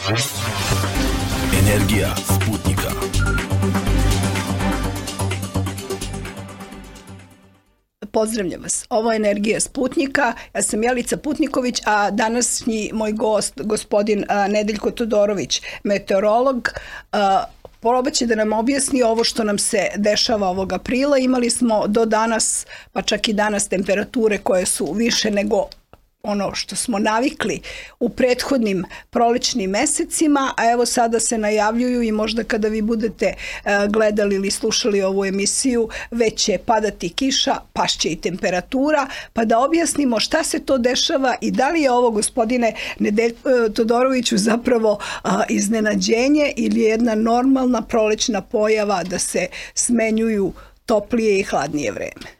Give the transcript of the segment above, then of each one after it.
Energija Sputnika. Pozdravljam vas. Ovo je Energija Sputnika. Ja sam Jelica Putniković, a današnji moj gost, gospodin Nedeljko Todorović, meteorolog, probat će da nam objasni ovo što nam se dešava ovog aprila. Imali smo do danas, pa čak i danas, temperature koje su više nego ono što smo navikli u prethodnim prolećnim mesecima, a evo sada se najavljuju i možda kada vi budete gledali ili slušali ovu emisiju, već će padati kiša, pašće i temperatura, pa da objasnimo šta se to dešava i da li je ovo, gospodine Todoroviću, zapravo iznenađenje ili jedna normalna prolećna pojava da se smenjuju toplije i hladnije vreme.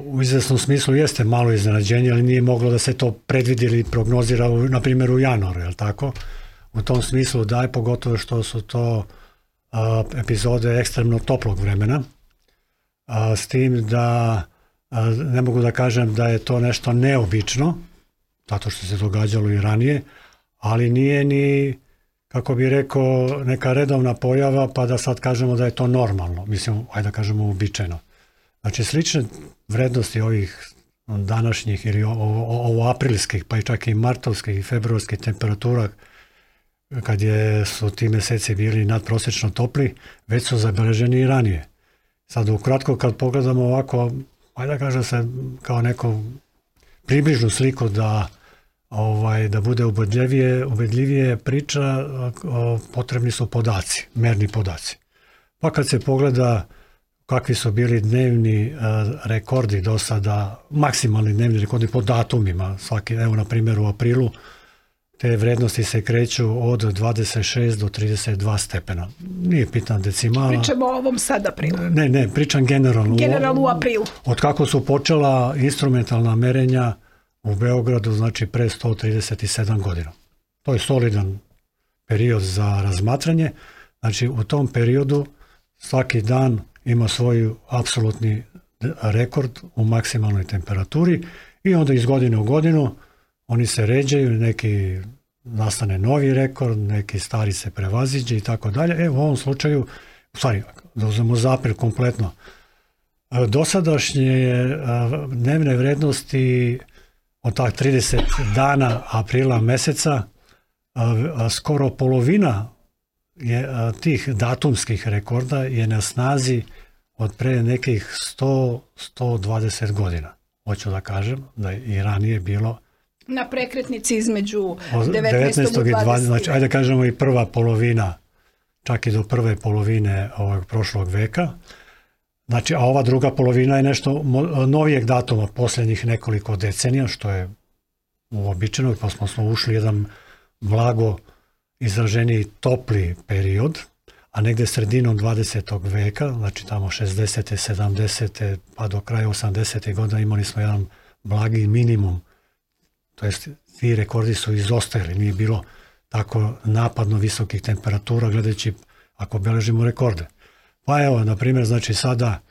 U izvesnom smislu jeste malo iznenađenje, ali nije moglo da se to predvidi ili prognozira, na primjer, u januaru, je li tako? U tom smislu da je, pogotovo što su to epizode ekstremno toplog vremena, s tim da ne mogu da kažem da je to nešto neobično, zato što se događalo i ranije, ali nije ni, kako bi rekao, neka redovna pojava, pa da sad kažemo da je to normalno, mislim, ajde da kažemo uobičajeno. Znači, slične vrednosti ovih današnjih ili ovo aprilskih, pa i čak i martovskih i februarskih temperatura, kad su ti meseci bili nadprosečno topli, već su zabeleženi i ranije. Sad, ukratko, kad pogledamo ovako, ajde da kažem se kao neku približnu sliku da bude ubedljivije priča, potrebni su podaci, merni podaci. Pa kad se pogleda kakvi su bili dnevni rekordi do sada, maksimalni dnevni rekordi po datumima, evo na primjer u aprilu, te vrednosti se kreću od 26 do 32 stepena. Nije pitna decimala. Pričamo o ovom sad aprilu. Ne, pričam generalno. Generalno u aprilu. Od kako su počela instrumentalna merenja u Beogradu, znači pre 137 godina. To je solidan period za razmatranje. Znači u tom periodu svaki dan ima svoj apsolutni rekord u maksimalnoj temperaturi i onda iz godine u godinu oni se ređaju, neki nastane novi rekord, neki stari se prevaziđe i tako dalje. U ovom slučaju, u stvari, da uzmemo za april kompletno, dosadašnje dnevne vrednosti od tak 30 dana aprila meseca, skoro polovina tih datumskih rekorda je na snazi od pre nekih 100-120 godina. Hoću da kažem da je i ranije bilo na prekretnici između 19. i 20. Znači, ajde da kažemo i prva polovina, čak i do prve polovine ovog prošlog veka. Znači, a ova druga polovina je nešto novijeg datuma, posljednjih nekoliko decenija, što je uobičajeno, pa smo ušli jedan blago izraženiji topli period, a negde sredinom 20. veka, znači tamo 60. 70. pa do kraja 80. godina imali smo jedan blagi minimum, to jest ti rekordi su izostajali, nije bilo tako napadno visokih temperatura gledajući ako beležimo rekorde. Pa evo, na primjer, znači sada,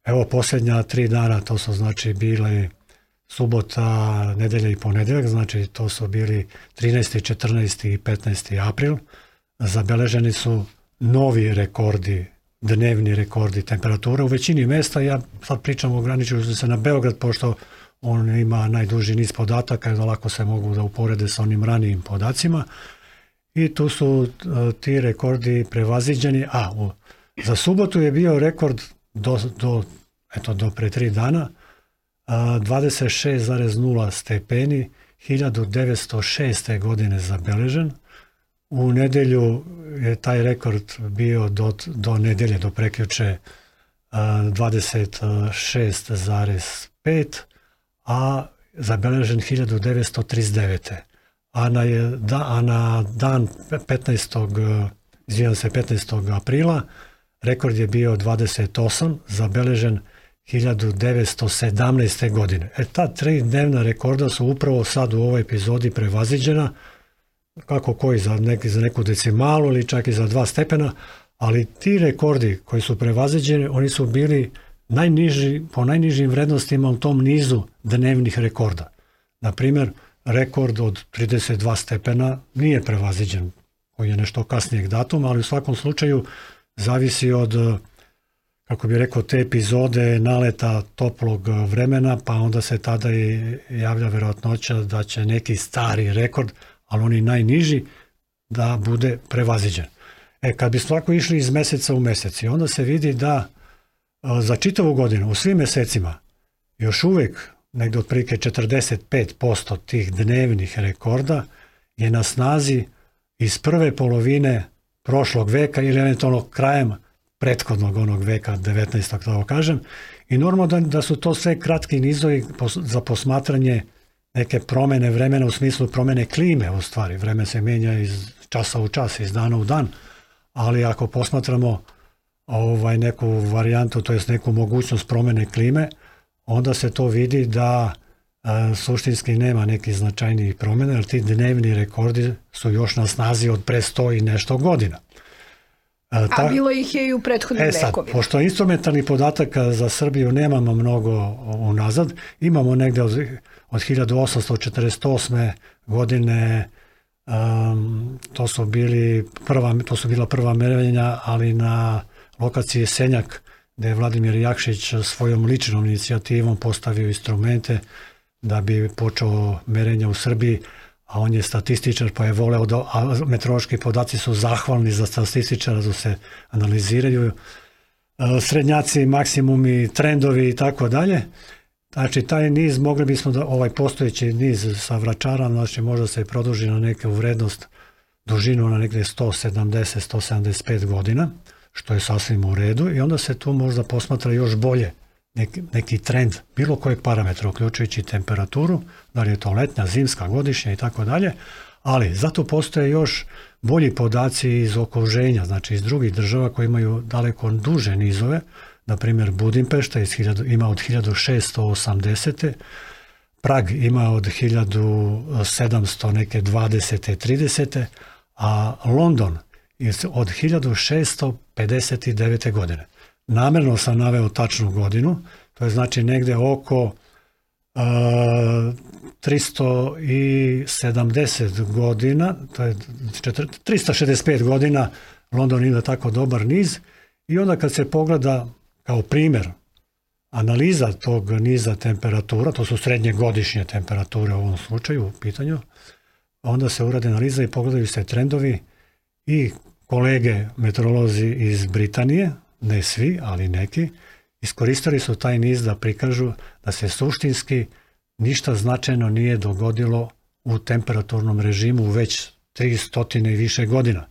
evo posljednja 3 dana, to su znači bile subota, nedelja i ponedeljak, znači to su bili 13. 14. i 15. april. Zabeleženi su novi rekordi, dnevni rekordi temperature u većini mesta. Ja sad pričam, ograničio sam se na Beograd, pošto on ima najduži niz podataka i da lako se mogu da uporede sa onim ranijim podacima. I tu su ti rekordi prevaziđeni. Za subotu je bio rekord do pre 3 dana, 26,0 stepeni, 1906. godine zabeležen. U nedelju je taj rekord bio do nedelje, do prekjuče 26,5, a zabeležen 1939. A na dan 15. aprila rekord je bio 28, zabeležen 1917. godine. Ta 3 dnevna rekorda su upravo sad u ovoj epizodi prevaziđena, kako koji za neku decimalu ili čak i za 2 stepena, ali ti rekordi koji su prevaziđeni, oni su bili po najnižim vrednostima u tom nizu dnevnih rekorda. Na primjer, rekord od 32 stepena nije prevaziđen koji je nešto kasnijeg datuma, ali u svakom slučaju zavisi od, kako bi rekao, te epizode naleta toplog vremena, pa onda se tada i javlja verovatnoća da će neki stari rekord, ali oni najniži, da bude prevaziđen. Kad bismo tako išli iz meseca u mesec, onda se vidi da za čitavu godinu, u svim mesecima, još uvijek negdje otprilike 45% tih dnevnih rekorda je na snazi iz prve polovine prošlog veka ili eventualno krajem prethodnog onog veka, 19. tako kažem. I normalno da su to sve kratki nizovi za posmatranje neke promjene vremena u smislu promjene klime u stvari. Vreme se mijenja iz časa u čas, iz dana u dan, ali ako posmatramo neku varijantu, to jest neku mogućnost promjene klime, onda se to vidi da suštinski nema nekih značajnijih promjena, jer ti dnevni rekordi su još na snazi od pre 100 i nešto godina. A bilo ih je i u prethodnim vekovima. Pošto instrumentalnih podataka za Srbiju nemamo mnogo unazad, imamo negdje od 1848. godine, to su bila prva merenja, ali na lokaciji Senjak, gdje je Vladimir Jakšić svojom ličnom inicijativom postavio instrumente da bi počeo merenja u Srbiji, a on je statističar pa je voleo a meteorološki podaci su zahvalni za statističara da se analiziraju srednjaci, maksimumi, trendovi i tako dalje. Znači taj niz, mogli bismo da ovaj postojeći niz sa Vračara, znači možda se produži na neku vrednost, dužinu na negdje 170-175 godina, što je sasvim u redu, i onda se tu možda posmatra još bolje neki trend bilo kojeg parametra, uključujući temperaturu, da li je to letnja, zimska, godišnja i tako dalje, ali zato postoje još bolji podaci iz okruženja, znači iz drugih država koji imaju daleko duže nizove. Na primjer Budimpešta ima od 1680. Prag ima od 1700 neke 20. 30. a London je od 1659. godine. Namjerno sam naveo tačnu godinu, to je znači negdje oko 370 godina, to je 365 godina London ima tako dobar niz, i onda kad se pogleda kao primjer analiza tog niza temperatura, to su srednje godišnje temperature u ovom slučaju u pitanju, onda se uradi analiza i pogledaju se trendovi, i kolege meteorolozi iz Britanije, ne svi, ali neki, iskoristili su taj niz da prikažu da se suštinski ništa značajno nije dogodilo u temperaturnom režimu već 300 i više godina.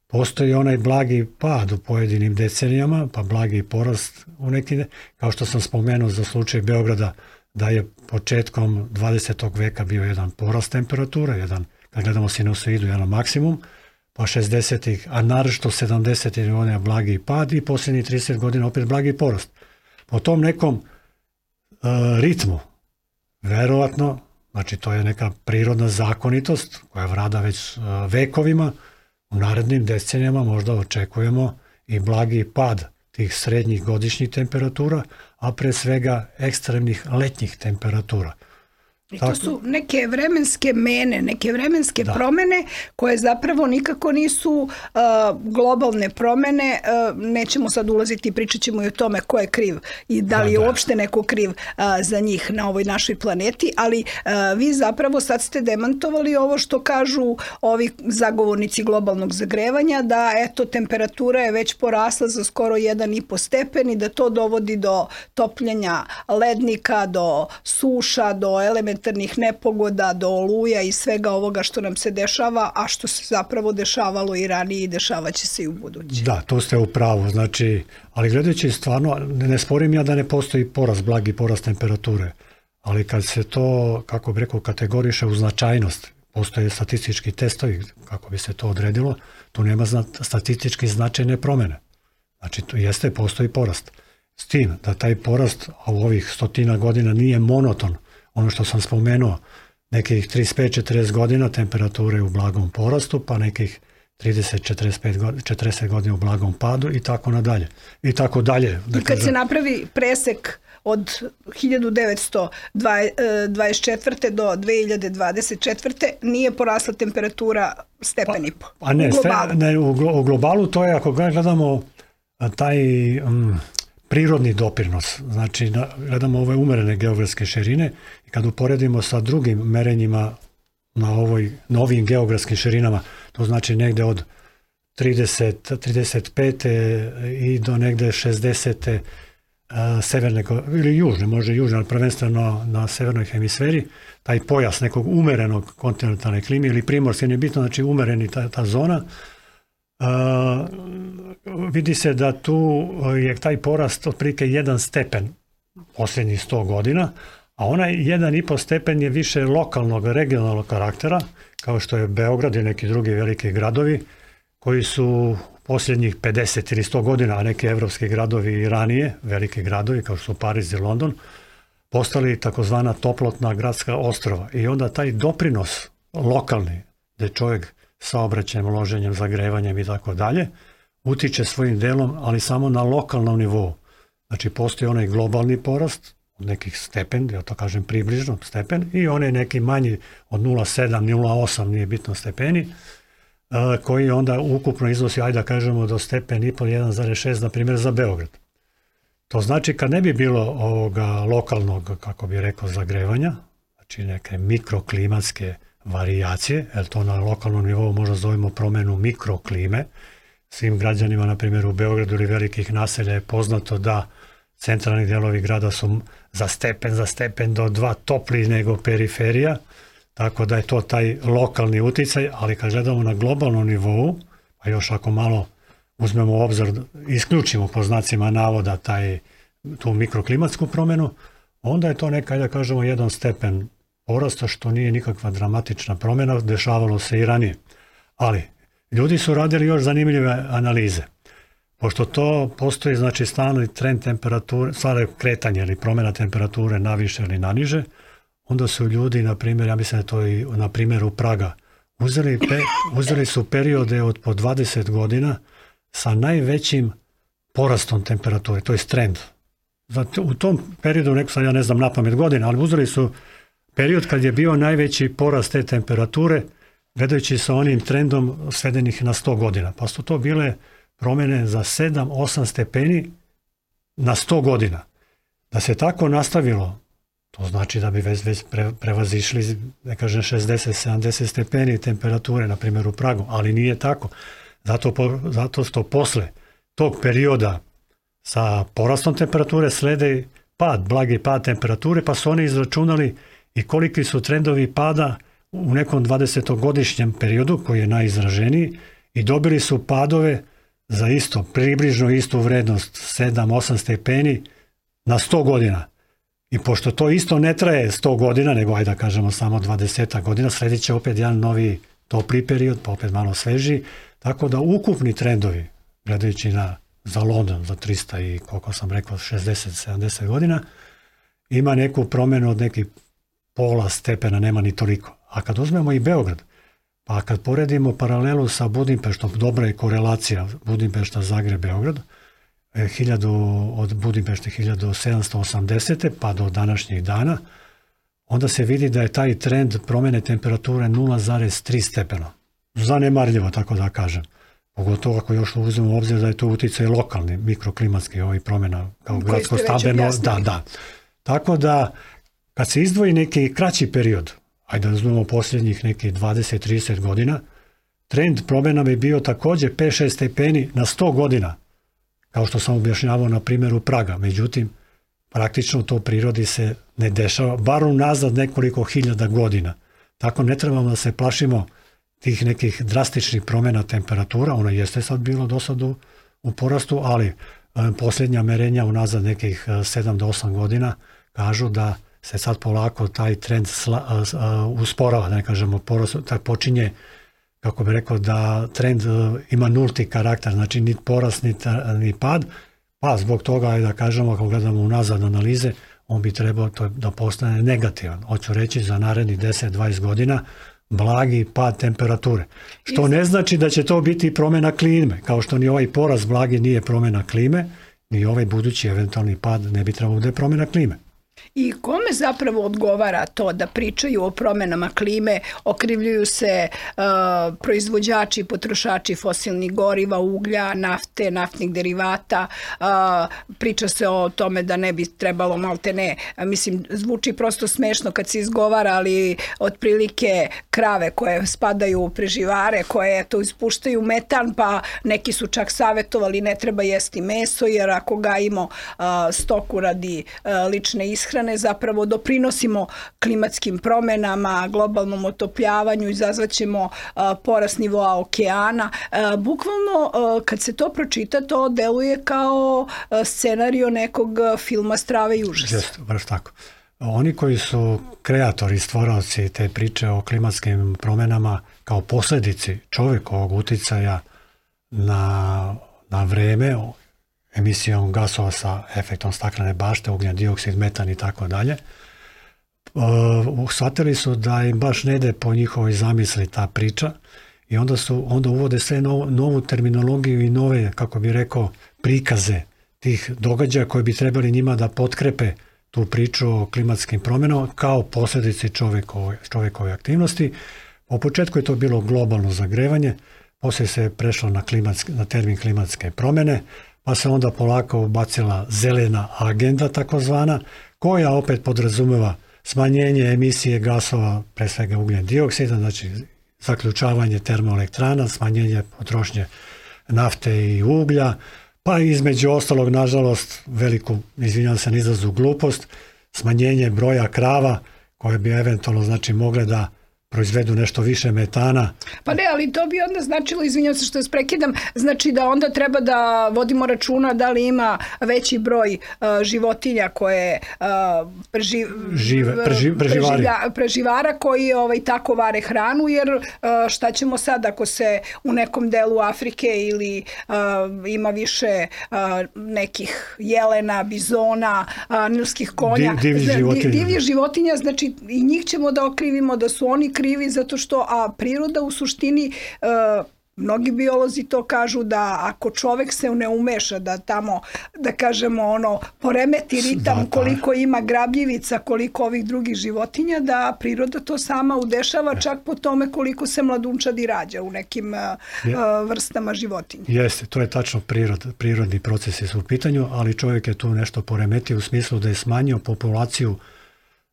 Postoji onaj blagi pad u pojedinim decenijama, pa blagi porast u nekim, kao što sam spomenuo za slučaj Beograda, da je početkom 20. veka bio jedan porast temperatura, kad gledamo sinusoidu, jedan maksimum, pa 60-ih, a naročito 70-ih godina blagi pad i posljednjih 30 godina opet blagi porast. Po tom nekom ritmu, verovatno, znači to je neka prirodna zakonitost koja vlada već vekovima, u narednim decenijama možda očekujemo i blagi pad tih srednjih godišnjih temperatura, a pre svega ekstremnih letnjih temperatura. I to su neke vremenske mene, neke vremenske promjene koje zapravo nikako nisu globalne promjene. Nećemo sad ulaziti i pričat ćemo i o tome ko je kriv i da li je uopšte neko kriv za njih na ovoj našoj planeti, ali vi zapravo sad ste demantovali ovo što kažu ovi zagovornici globalnog zagrevanja, da eto temperatura je već porasla za skoro 1,5 stepen i da to dovodi do topljenja lednika, do suša, do elementarnih nepogoda, do oluja i svega ovoga što nam se dešava, a što se zapravo dešavalo i ranije i dešavat će se i u buduće. Da, to ste u pravu, znači, ali gledajući stvarno, ne sporim ja da ne postoji porast, blagi porast temperature, ali kad se to, kako bi rekao, kategoriše u značajnost, postoje statistički testovi, kako bi se to odredilo, tu nema statistički značajne promjene. Znači, postoji porast. S tim da taj porast u ovih 100 godina nije monoton. Ono što sam spomenuo, nekih 35-40 godina temperature u blagom porastu, pa nekih 30-40 godina u blagom padu i tako nadalje. I tako dalje. I kad se napravi presek od 1924. do 2024. nije porasla temperatura stepen i po. A ne, u globalu to je, ako gledamo taj prirodni doprinos, znači gledamo ove umerene geografske širine i kad uporedimo sa drugim merenjima na novim geografskim širinama, to znači negde od 35. i do negde 60. severne ili južne, može južne, ali prvenstveno na severnoj hemisferi, taj pojas nekog umerenog kontinentalne klime ili primorske, nije bitno, znači umereni ta zona, vidi se da tu je taj porast otprilike 1 stepen posljednjih 100 godina, a onaj 1,5 stepen je više lokalnog, regionalnog karaktera, kao što je Beograd i neki drugi veliki gradovi, koji su posljednjih 50 ili 100 godina, a neki evropski gradovi i ranije, veliki gradovi kao što su Pariz i London, postali takozvana toplotna gradska ostrva. I onda taj doprinos lokalni, gde čovjek saobraćajem, loženjem, zagrevanjem i tako dalje, utiče svojim delom, ali samo na lokalnom nivou. Znači, postoji onaj globalni porast od nekih stepen, ja to kažem približno stepen, i onaj neki manji od 0,7, 0,8, nije bitno stepeni, koji onda ukupno iznosi, ajde da kažemo, do stepen i pol 1,6, na primjer, za Beograd. To znači, kad ne bi bilo ovoga lokalnog, kako bi rekao, zagrevanja, znači neke mikroklimatske varijacije, jer to na lokalnom nivou možda zovemo promenu mikroklime, svim građanima, na primjer, u Beogradu ili velikih naselja je poznato da centralni delovi grada su za stepen do 2 topliji nego periferija, tako da je to taj lokalni uticaj, ali kad gledamo na globalnom nivou, a još ako malo uzmemo u obzir, isključimo po znacima navoda tu mikroklimatsku promjenu, onda je to neka, da kažemo, 1 stepen porasta, što nije nikakva dramatična promjena, dešavalo se i ranije. Ali ljudi su radili još zanimljive analize. Pošto to postoji, znači, stalni trend temperature, stvarno kretanje ili promjena temperature naviše ili naniže, onda su ljudi, na primjer, ja mislim da je to i na primjeru Praga, uzeli su periode od po 20 godina sa najvećim porastom temperature, to je trend. U tom periodu, neko sad ja ne znam napamet godina, ali uzeli su period kad je bio najveći porast te temperature, gledajući sa onim trendom svedenih na 100 godina. Pa su to bile promjene za 7-8 stepeni na 100 godina. Da se tako nastavilo, to znači da bi već prevazišli, ne kažem, 60-70 stepeni temperature, na primjer u Pragu, ali nije tako. Zato što posle tog perioda sa porastom temperature slede blagi pad temperature, pa su oni izračunali i koliki su trendovi pada u nekom 20-godišnjem periodu, koji je najizraženiji, i dobili su padove za približno istu vrednost 7-8 stepeni na 100 godina. I pošto to isto ne traje 100 godina, nego ajde da kažemo samo 20 godina, sledit će opet jedan novi topli period, pa opet malo svežiji, tako da ukupni trendovi, gledajući za London, za 300 i koliko sam rekao, 60-70 godina, ima neku promjenu od nekih pola stepena, nema ni toliko. A kad uzmemo i Beograd, pa kad poredimo paralelu sa Budimpeštom, dobra je korelacija Budimpešta, Zagreb, Beograd, od Budimpešte 1780. pa do današnjih dana, onda se vidi da je taj trend promjene temperature 0,3 stepena. Zanemarljivo, tako da kažem. Pogotovo ako još uzmemo u obzir da je to uticaj lokalni, mikroklimatski promjena kao gradsko stambeno. Da. Tako da, kad se izdvoji neki kraći period, ajde da uzmemo posljednjih nekih 20-30 godina, trend promjena bi bio također 5-6 stepeni na 100 godina, kao što sam objašnjavao na primjeru Praga. Međutim, praktično to u prirodi se ne dešava, bar unazad nekoliko hiljada godina. Tako ne trebamo da se plašimo tih nekih drastičnih promjena temperatura, ono jeste sad bilo do sad u porastu, ali posljednja merenja unazad nekih 7 do 8 godina kažu da se sad polako taj trend usporava, da ne kažemo porast, tako počinje, kako bi rekao, da trend ima nulti karakter, znači ni porast ni pad, pa zbog toga, da kažemo, ako gledamo unazad analize, on bi trebao da postane negativan. Hoću reći, za narednih 10-20 godina blagi pad temperature. Što ne znači da će to biti promjena klime, kao što ni ovaj porast blagi nije promjena klime, ni ovaj budući eventualni pad ne bi trebalo da je promjena klime. I kome zapravo odgovara to da pričaju o promenama klime, okrivljuju se proizvođači i potrošači fosilnih goriva, uglja, nafte, naftnih derivata, priča se o tome da ne bi trebalo maltene, mislim, zvuči prosto smešno kad se izgovara, ali otprilike krave koje spadaju u preživare, koje to ispuštaju metan, pa neki su čak savjetovali ne treba jesti meso, jer ako gajimo stoku radi lične ishrane, zapravo doprinosimo klimatskim promenama, globalnom otopljavanju, izazvaćemo porast nivoa okeana. Bukvalno, kad se to pročita, to deluje kao scenario nekog filma Strave i užasa. Jeste, baš tako. Oni koji su kreatori, stvoravci te priče o klimatskim promenama kao posljedici čovjekovog uticaja na vreme, emisijom gasova sa efektom staklene bašte, ugljen dioksid, metan i tako dalje, shvatili su da im baš ne ide po njihovoj zamisli ta priča i onda uvode sve novu terminologiju i nove, kako bi rekao, prikaze tih događaja koji bi trebali njima da potkrepe tu priču o klimatskim promjenama kao posljedici čovjekove aktivnosti. U početku je to bilo globalno zagrevanje, poslije se prešlo na termin klimatske promjene, pa se onda polako ubacila zelena agenda takozvana, koja opet podrazumeva smanjenje emisije gasova, pre svega ugljen dioksida, znači zaključavanje termoelektrana, smanjenje potrošnje nafte i uglja, pa između ostalog, nažalost, veliku, izvinjam se na izrazu, glupost, smanjenje broja krava koje bi eventualno znači mogle da proizvedu nešto više metana. Pa ne, ali to bi onda značilo, izvinjam se što vas prekidam, znači da onda treba da vodimo računa da li ima veći broj životinja koje preživara koji tako vare hranu, jer šta ćemo sad ako se u nekom delu Afrike ili ima više nekih jelena, bizona, nilskih konja, divljih životinja, znači i njih ćemo da okrivimo da su oni krivi zato što, a priroda u suštini, mnogi biolozi to kažu da ako čovek se ne umeša da tamo, da kažemo poremeti ritam koliko ima grabljivica, koliko ovih drugih životinja, da priroda to sama udešava čak po tome koliko se mladunčadi rađa u nekim vrstama životinja. Jeste, to je tačno prirodni procesi su u pitanju, ali čovjek je tu nešto poremetio u smislu da je smanjio populaciju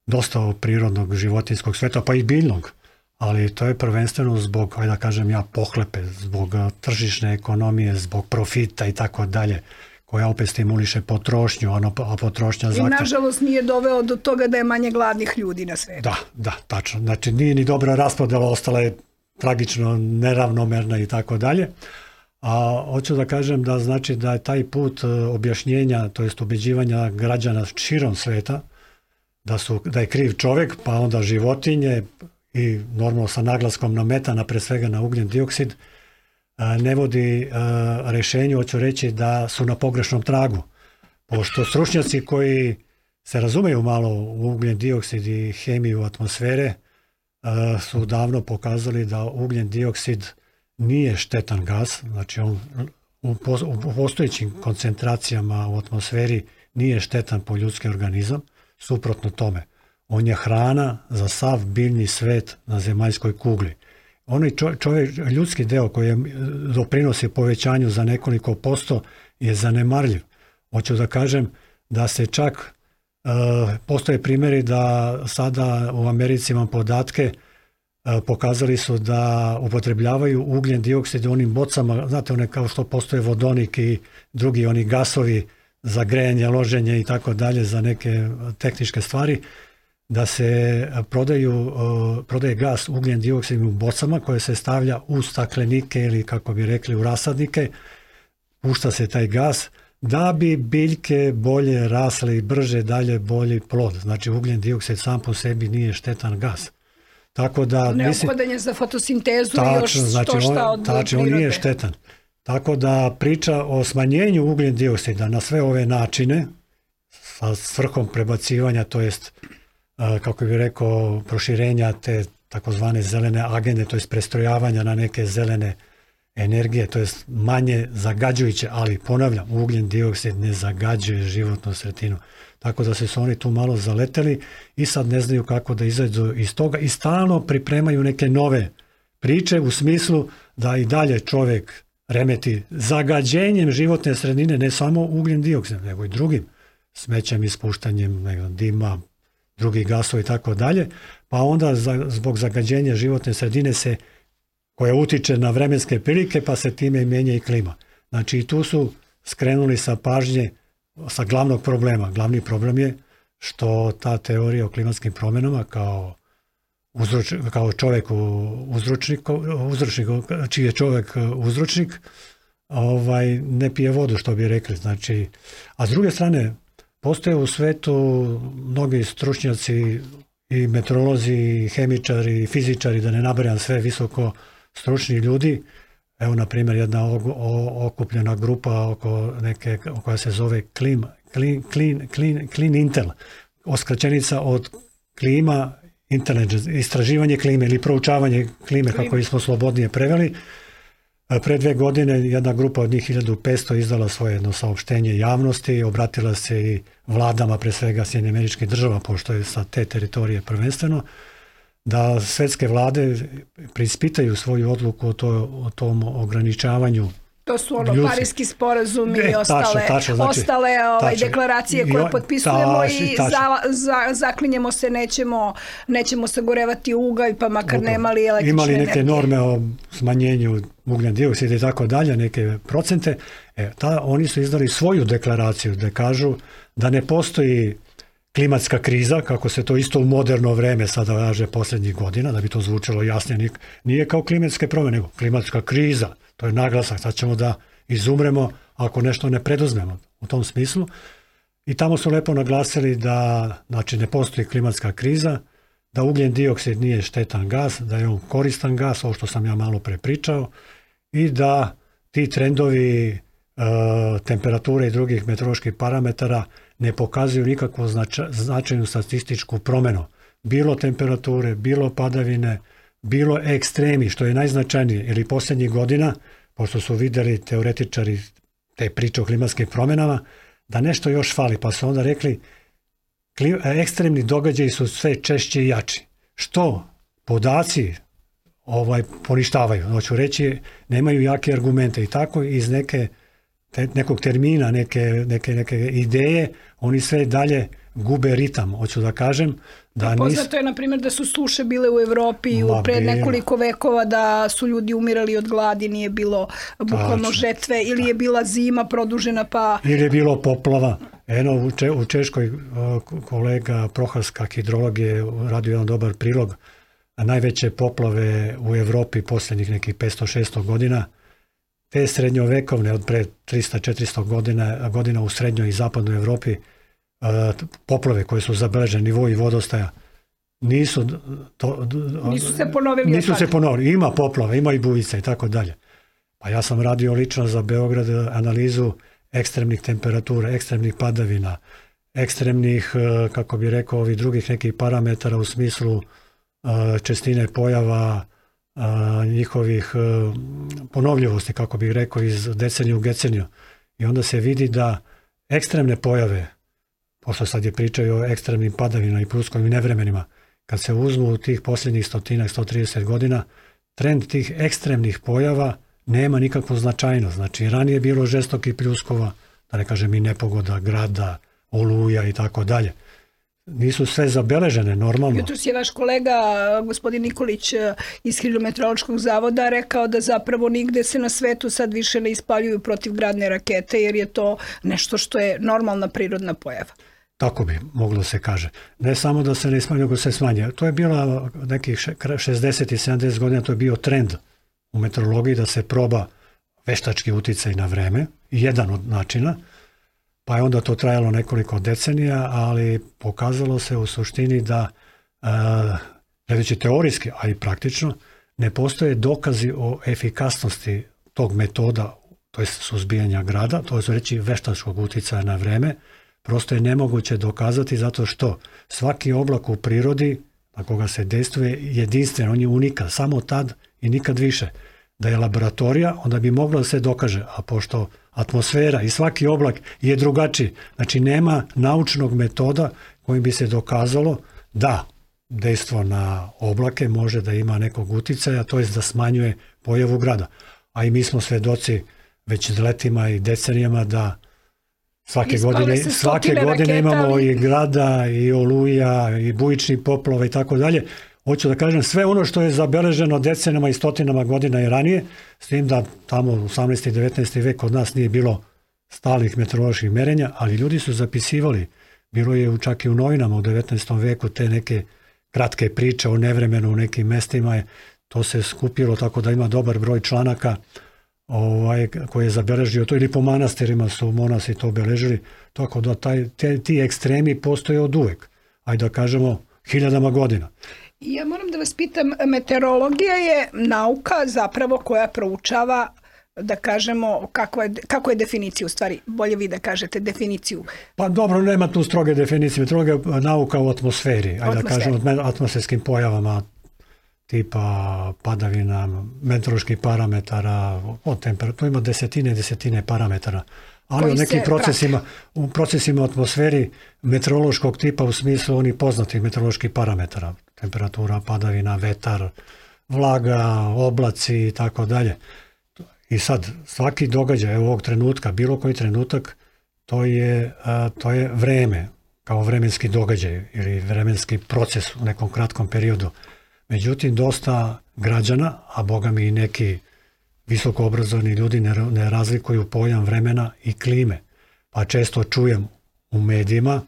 dosta prirodnog životinskog sveta, pa i biljnog, ali to je prvenstveno zbog, ajde da kažem ja, pohlepe, zbog tržišne ekonomije, zbog profita i tako dalje, koja opet stimuliše potrošnju, a potrošnja I nažalost nije doveo do toga da je manje gladnih ljudi na svetu. Da, tačno. Znači nije ni dobra raspodela, ostala je tragično neravnomerna i tako dalje. A hoću da kažem da znači da je taj put objašnjenja, to jest ubeđivanja građana širom sveta, da je kriv čovjek, pa onda životinje i normalno sa naglaskom na metan, a pre svega na ugljen dioksid, ne vodi rješenju, hoću reći da su na pogrešnom tragu. Pošto stručnjaci koji se razumeju malo u ugljen dioksid i hemiju atmosfere su davno pokazali da ugljen dioksid nije štetan gas, znači on u postojećim koncentracijama u atmosferi nije štetan po ljudski organizam, suprotno tome. On je hrana za sav biljni svet na zemaljskoj kugli. Onaj ljudski deo koji doprinosi povećanju za nekoliko posto je zanemarljiv. Hoću da kažem da se čak postoje primjeri da sada u Americi imam podatke, pokazali su da upotrebljavaju ugljen dioksid u onim bocama, znate one kao što postoje vodonik i drugi oni gasovi za grejanje, loženje i tako dalje, za neke tehničke stvari, da se prodaje gas ugljen dioksid u bocama koje se stavlja u staklenike ili kako bi rekli u rasadnike, pušta se taj gas da bi biljke bolje rasle i brže dalje bolji plod. Znači ugljen dioksid sam po sebi nije štetan gas. Tako da neophodan je za fotosintezu i još šta od prirode. On nije štetan. Tako da priča o smanjenju ugljen dioksida na sve ove načine sa svrhom prebacivanja, to jest kako bih rekao proširenja te takozvane zelene agende, to jest prestrojavanja na neke zelene energije, to jest manje zagađujuće, ali ponavljam, ugljen dioksid ne zagađuje životnu sredinu. Tako da su oni tu malo zaleteli i sad ne znaju kako da izađu iz toga i stalno pripremaju neke nove priče u smislu da i dalje čovjek remeti zagađenjem životne sredine, ne samo ugljen dioksid, nego i drugim smećem, ispuštanjem dima, drugih gasova i tako dalje, pa onda zbog zagađenja životne sredine koja utiče na vremenske prilike, pa se time mijenja i klima. Znači i tu su skrenuli sa pažnje sa glavnog problema. Glavni problem je što ta teorija o klimatskim promjenama kao čovjek uzročnik, čiji je čovjek uzročnik, ne pije vodu, što bi rekli. Znači, a s druge strane, postoje u svetu mnogi stručnjaci i meteorolozi, i hemičari, i fizičari, da ne nabrajam sve visoko stručni ljudi. Evo, na primjer, jedna okupljena grupa koja se zove Clean Intel, skraćenica od klima, intelligence, istraživanje klime ili proučavanje klime, kako smo slobodnije preveli. Pre 2 godine jedna grupa od njih 1500 izdala svoje jedno saopštenje javnosti, obratila se i vladama, pre svega Sjedinjenih Američkih Država, pošto je sa te teritorije prvenstveno, da svetske vlade preispitaju svoju odluku o tom ograničavanju. To su Parijski sporazumi i ostale deklaracije koje potpisujemo i zaklinjemo se, nećemo sagorevati ugalj, pa makar nemali električne energije. Imali neke norme o smanjenju ugljen dioksida i tako dalje, neke procente. Oni su izdali svoju deklaraciju da kažu da ne postoji klimatska kriza, kako se to isto u moderno vreme sada kaže posljednjih godina, da bi to zvučalo jasnije, nije kao klimatske promjene, nego klimatska kriza. To je naglasak, sad ćemo da izumremo ako nešto ne preduzmemo u tom smislu. I tamo su lepo naglasili da ne postoji klimatska kriza, da ugljen dioksid nije štetan gas, da je on koristan gas, ovo što sam ja malo prepričao, i da ti trendovi temperature i drugih meteoroloških parametara ne pokazuju nikakvu značajnu statističku promjenu. Bilo temperature, bilo padavine, bilo ekstremi, što je najznačajnije, ili posljednjih godina, pošto su vidjeli teoretičari te priče o klimatskim promjenama, da nešto još fali, pa su onda rekli ekstremni događaji su sve češće i jači. Što podaci poništavaju. Hoću reći, nemaju jake argumente i tako iz nekog termina, neke ideje, oni sve dalje gube ritam, hoću da kažem. Poznato je, na primjer, da su suše bile u Evropi pred nekoliko vekova, da su ljudi umirali od gladi, nije bilo bukvalno žetve, ili je bila zima produžena pa... Ili je bilo poplava. Eno, u Češkoj kolega Prohaska, hidrolog, je radio jedan dobar prilog. Najveće poplave u Evropi posljednjih nekih 500-600 godina, te srednjovekovne, od pre 300-400 godina u srednjoj i zapadnoj Evropi, poplave koje su zabeležene, nivoi vodostaja, nisu se ponovili. Ima poplava, ima i bujica i tako dalje. Pa ja sam radio lično za Beograd analizu ekstremnih temperatura, ekstremnih padavina, ekstremnih, kako bi rekao, ovih drugih nekih parametara u smislu čestine pojava, njihovih ponovljivosti, kako bih rekao, iz deceniju u deceniju. I onda se vidi da ekstremne pojave, pošto sad je pričaju o ekstremnim padavinama i pluskovim nevremenima, kad se uzmu u tih posljednjih 130 godina, trend tih ekstremnih pojava nema nikakvu značajnost. Znači, ranije je bilo žestokih pljuskova, da ne kažem i nepogoda, grada, oluja i tako dalje. Nisu sve zabeležene normalno. Jutros je vaš kolega, gospodin Nikolić iz Hidrometeorološkog zavoda, rekao da zapravo nigde se na svetu sad više ne ispaljuju protivgradne rakete, jer je to nešto što je normalna prirodna pojava. Tako bi moglo se kaže. Ne samo da se ne ispaljuju, nego se smanje. To je bilo nekih 60 i 70 godina, to je bio trend u meteorologiji da se proba veštački uticaj na vreme, jedan od načina, pa je onda to trajalo nekoliko decenija, ali pokazalo se u suštini da, gledajući teorijski, a i praktično, ne postoje dokazi o efikasnosti tog metoda, to je suzbijanja grada, to je reći veštačkog uticaja na vreme, prosto je nemoguće dokazati zato što svaki oblak u prirodi na koga se dejstvuje jedinstven, on je unikan, samo tad i nikad više. da je laboratorija, onda bi moglo da se dokaže, a pošto atmosfera i svaki oblak je drugačiji, znači nema naučnog metoda kojim bi se dokazalo da dejstvo na oblake može da ima nekog uticaja, to je da smanjuje pojavu grada. A i mi smo svedoci već letima i decenijama da svake godine imamo i grada, i oluja, i bujični poplova i tako dalje. Hoću da kažem, sve ono što je zabeleženo decenama i stotinama godina i ranije, s tim da tamo u 18. i 19. vek kod nas nije bilo stalnih meteoroloških merenja, ali ljudi su zapisivali. Bilo je čak i u novinama u 19. veku te neke kratke priče o nevremenu u nekim mestima. To se skupilo tako da ima dobar broj članaka koji je zabeležio to, ili po manastirima su monasi to obeležili, tako da ti ekstremi postoje od uvek, ajde da kažemo hiljadama godina. Ja moram da vas pitam, meteorologija je nauka zapravo koja proučava, da kažemo, kako je definicija, u stvari, bolje vi da kažete definiciju. Pa dobro, nema tu stroge definicije, meteorologija je nauka u atmosferi, ajde da kažemo, atmosferskim pojavama, tipa padavina, meteoroloških parametara, od temperatura, ima desetine parametara. Ali u nekim procesima u atmosferi meteorološkog tipa u smislu onih poznatih meteoroloških parametara, temperatura, padavina, vetar, vlaga, oblaci i tako dalje. I sad, svaki događaj ovog trenutka, bilo koji trenutak, to je vreme, kao vremenski događaj ili vremenski proces u nekom kratkom periodu. Međutim, dosta građana, a boga mi i neki visoko obrazovani ljudi ne razlikuju pojam vremena i klime. Pa često čujem u medijima,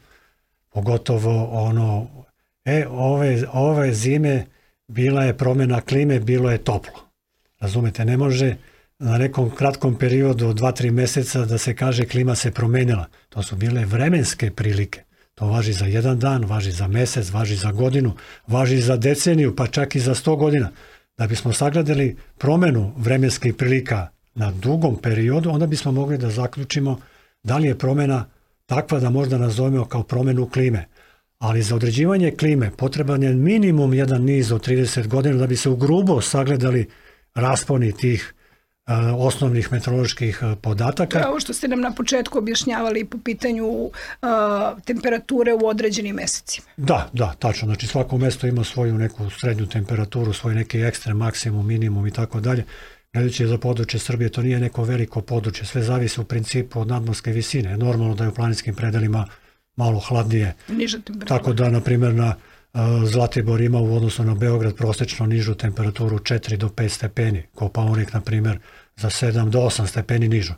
pogotovo ove zime bila je promjena klime, bilo je toplo. Razumete, ne može na nekom kratkom periodu od 2-3 mjeseca da se kaže klima se promenila. To su bile vremenske prilike. To važi za jedan dan, važi za mjesec, važi za godinu, važi za deceniju, pa čak i za 100 godina. Da bismo sagledali promjenu vremenskih prilika na dugom periodu, onda bismo mogli da zaključimo da li je promjena takva da možda nazovemo kao promjenu klime. Ali za određivanje klime potreban je minimum jedan niz od 30 godina da bi se ugrubo sagledali rasponi tih osnovnih meteoroloških podataka. Ovo što ste nam na početku objašnjavali po pitanju temperature u određenim mesecima. Da, tačno. Znači svako mesto ima svoju neku srednju temperaturu, svoj neki ekstrem, maksimum, minimum i tako dalje. Gledajući za područje Srbije, to nije neko veliko područje. Sve zavisi u principu od nadmorske visine. Normalno da je u planinskim predelima malo hladnije. Niža temperatura. Tako da, na primjer, na Zlatibor ima u odnosu na Beograd prosečno nižu temperaturu 4 do 5 stepeni, Kopaonik, na primjer, za 7 do 8 stepeni nižu.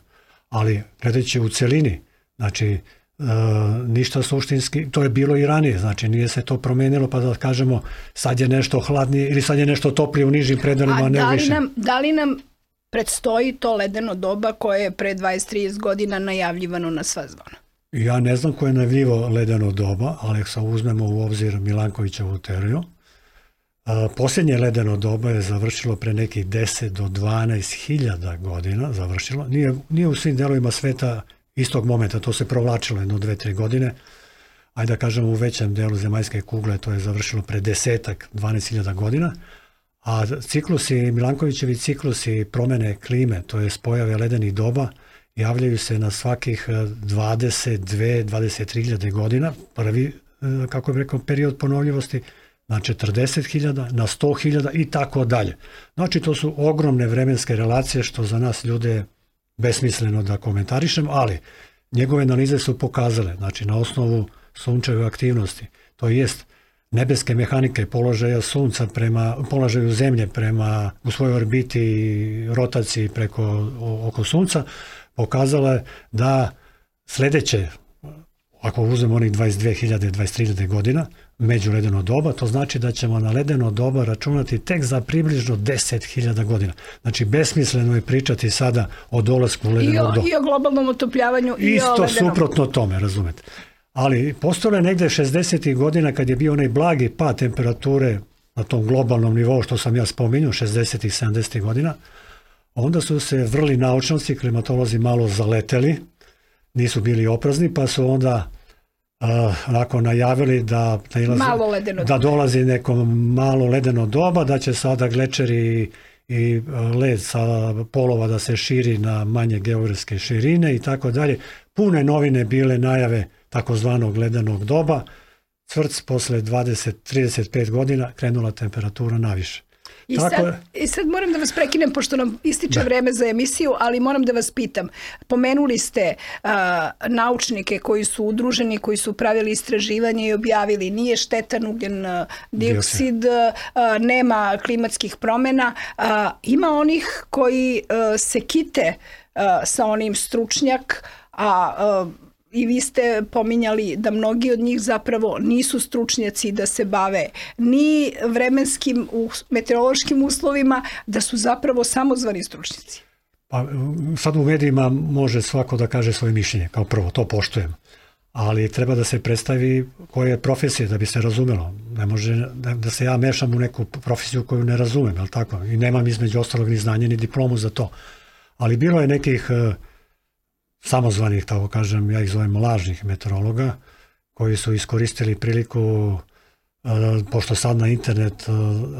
Ali, gledajući u celini, znači, ništa suštinski, to je bilo i ranije, znači nije se to promenilo pa da kažemo sad je nešto hladnije ili sad je nešto toplije u nižim predelima, a ne više. Da li nam predstoji to ledeno doba koje je pre 20-30 godina najavljivano na sva zvona? Ja ne znam ko je najavljivao ledeno doba, ali ako uzmemo u obzir Milankovićevu teoriju, posljednje ledeno doba je završilo pre nekih 10 do 12 hiljada godina, završilo. Nije u svim delovima sveta istog momenta, to se provlačilo jedno 2-3 godine. Ajde da kažemo u većem delu zemaljske kugle to je završilo pre 10-12 hiljada godina. A Milankovićevi ciklusi promjene klime, to je pojave ledenih doba, javljaju se na svakih 22-23 hiljade godina. Prvi, kako bih rekao, period ponovljivosti na 40.000, na 100.000 i tako dalje. Znači, to su ogromne vremenske relacije što za nas ljude je besmisleno da komentarišem, ali njegove analize su pokazale, znači na osnovu sunčeve aktivnosti, to jest nebeske mehanike položaja sunca prema položaju zemlje u svojoj orbiti i rotaciji oko sunca, pokazala je da sljedeće, ako uzmemo onih 22.000, 23.000 godina, međuledeno doba, to znači da ćemo na ledeno doba računati tek za približno 10.000 godina. Znači, besmisleno je pričati sada o dolasku ledenog doba. I o globalnom otopljavanju i isto o ledenom. Isto suprotno tome, razumete. Ali postojalo je negde 60. godina kad je bio onaj blagi pad temperature na tom globalnom nivou što sam ja spominjao, 60. i 70. godina, onda su se vrli naučnici, klimatolozi malo zaleteli, nisu bili oprezni, pa su onda onako najavili da dolazi neko malo ledeno doba, da će sada glečeri i led sa polova da se širi na manje geografske širine i tako dalje. Pune novine bile najave takozvanog ledenog doba. Cvrc posle 20-35 godina krenula temperatura naviše. I sad moram da vas prekinem, pošto nam ističe vreme za emisiju, ali moram da vas pitam. Pomenuli ste naučnike koji su udruženi, koji su pravili istraživanje i objavili nije štetan ugljen dioksid, nema klimatskih promjena. Ima onih koji se kite sa onim stručnjak, i vi ste pominjali da mnogi od njih zapravo nisu stručnjaci da se bave ni vremenskim, meteorološkim uslovima, da su zapravo samozvani stručnjaci. Pa sad u medijima može svako da kaže svoje mišljenje, kao prvo, to poštujem. Ali treba da se predstavi koje je profesije, da bi se razumelo. Ne može da se ja mešam u neku profesiju koju ne razumem, je li tako? I nemam između ostalog ni znanje, ni diplomu za to. Ali bilo je nekih samozvanih, tako kažem, ja ih zovem lažnih meteorologa, koji su iskoristili priliku, pošto sad na internet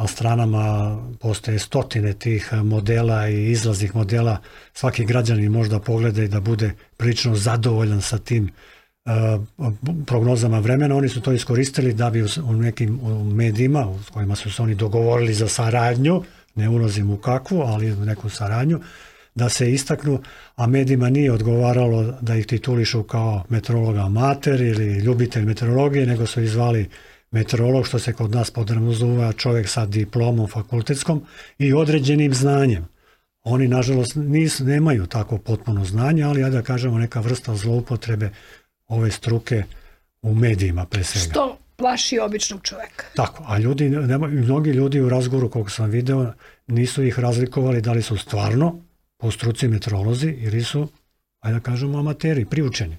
stranama postoje stotine tih modela i izlaznih modela, svaki građanin možda pogleda i da bude prilično zadovoljan sa tim prognozama vremena. Oni su to iskoristili da bi u nekim medijima u kojima su se oni dogovorili za saradnju, ne ulazim u kakvu, ali u neku saradnju, da se istaknu, a medijima nije odgovaralo da ih titulišu kao meteorologa amater ili ljubitelj meteorologije, nego su ih zvali meteorolog, što se kod nas podrazumeva čovjek sa diplomom fakultetskom i određenim znanjem. Oni, nažalost, nemaju tako potpuno znanje, ali ja da kažemo neka vrsta zloupotrebe ove struke u medijima pre svega. Što plaši običnog čovjeka. Tako, a mnogi ljudi u razgovoru, koliko sam video, nisu ih razlikovali da li su stvarno po struci meteorolozi ili su, ajde da kažemo, amateri, priučeni.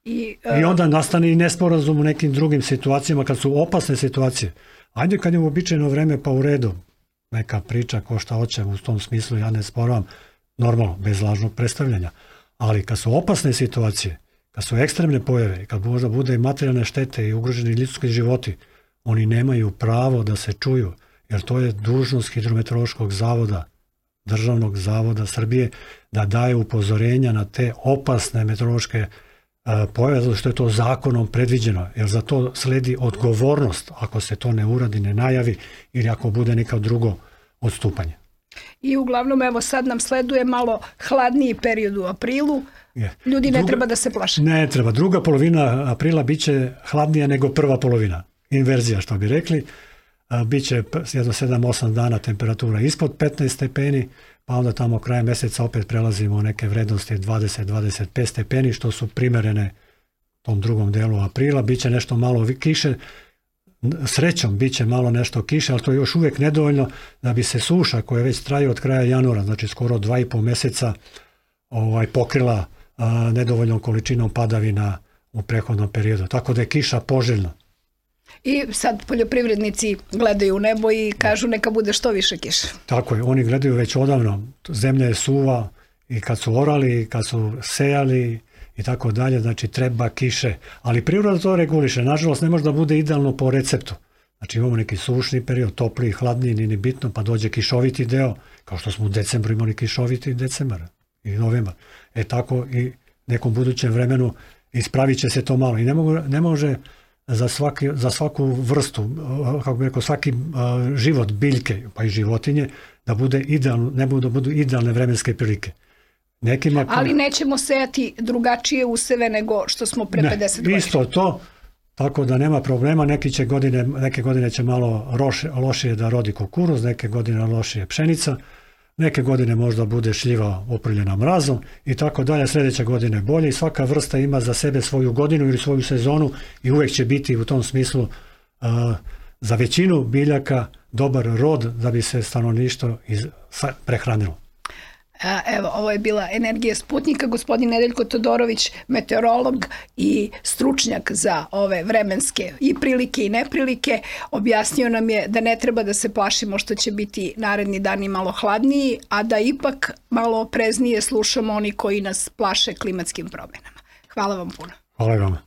I onda nastane i nesporazum u nekim drugim situacijama kad su opasne situacije. Ajde kad je uobičajeno vreme, pa u redu, neka priča ko šta hoće, u tom smislu ja ne sporavam, normalno, bez lažnog predstavljanja. Ali kad su opasne situacije, kad su ekstremne pojave, kad možda bude i materijalne štete i ugroženi ljudski životi, oni nemaju pravo da se čuju, jer to je dužnost Hidrometeorološkog zavoda, Državnog zavoda Srbije, da daje upozorenja na te opasne meteorološke pojave, zato što je to zakonom predviđeno, jer za to sledi odgovornost ako se to ne uradi, ne najavi ili ako bude neka drugo odstupanje. I uglavnom, evo sad nam sleduje malo hladniji period u aprilu. Ljudi ne treba da se plaše. Ne treba. Druga polovina aprila biće hladnija nego prva polovina. Inverzija, što bi rekli. Biće jedno 7-8 dana temperatura ispod 15 stepeni, pa onda tamo krajem mjeseca opet prelazimo u neke vrednosti 20-25 stepeni, što su primerene tom drugom delu aprila. Biće nešto malo kiše, srećom biće malo nešto kiše, ali to je još uvijek nedovoljno da bi se suša koja već traje od kraja januara, znači skoro 2,5 mjeseca, pokrila nedovoljnom količinom padavina u prethodnom periodu. Tako da je kiša poželjna. I sad poljoprivrednici gledaju u nebo i kažu neka bude što više kiše. Tako je, oni gledaju već odavno. Zemlja je suva i kad su orali, i kad su sejali i tako dalje, znači treba kiše. Ali priroda to reguliše. Nažalost, ne može da bude idealno po receptu. Znači imamo neki sušni period, topliji, hladniji, nije ni bitno, pa dođe kišoviti deo, kao što smo u decembru imali kišoviti decembar i novembar. Tako i nekom budućem vremenu ispravit će se to malo. I ne može za svaku vrstu, kako bi rekao, svaki život biljke, pa i životinje, da bude idealno, ne da budu idealne vremenske prilike. Ali nećemo sejati drugačije useve nego što smo pre 50 godina. Isto to, tako da nema problema. Neke godine će malo lošije da rodi kukuruz, neke godine lošije pšenica, neke godine možda bude šljiva oprljena mrazom i tako dalje, sljedeće godine bolje i svaka vrsta ima za sebe svoju godinu ili svoju sezonu i uvijek će biti u tom smislu za većinu biljaka dobar rod da bi se stanovništvo prehranilo. Evo, ovo je bila Energija Sputnika. Gospodin Nedeljko Todorović, meteorolog i stručnjak za ove vremenske i prilike i neprilike, objasnio nam je da ne treba da se plašimo što će biti naredni dani malo hladniji, a da ipak malo opreznije slušamo oni koji nas plaše klimatskim promjenama. Hvala vam puno. Hvala vam.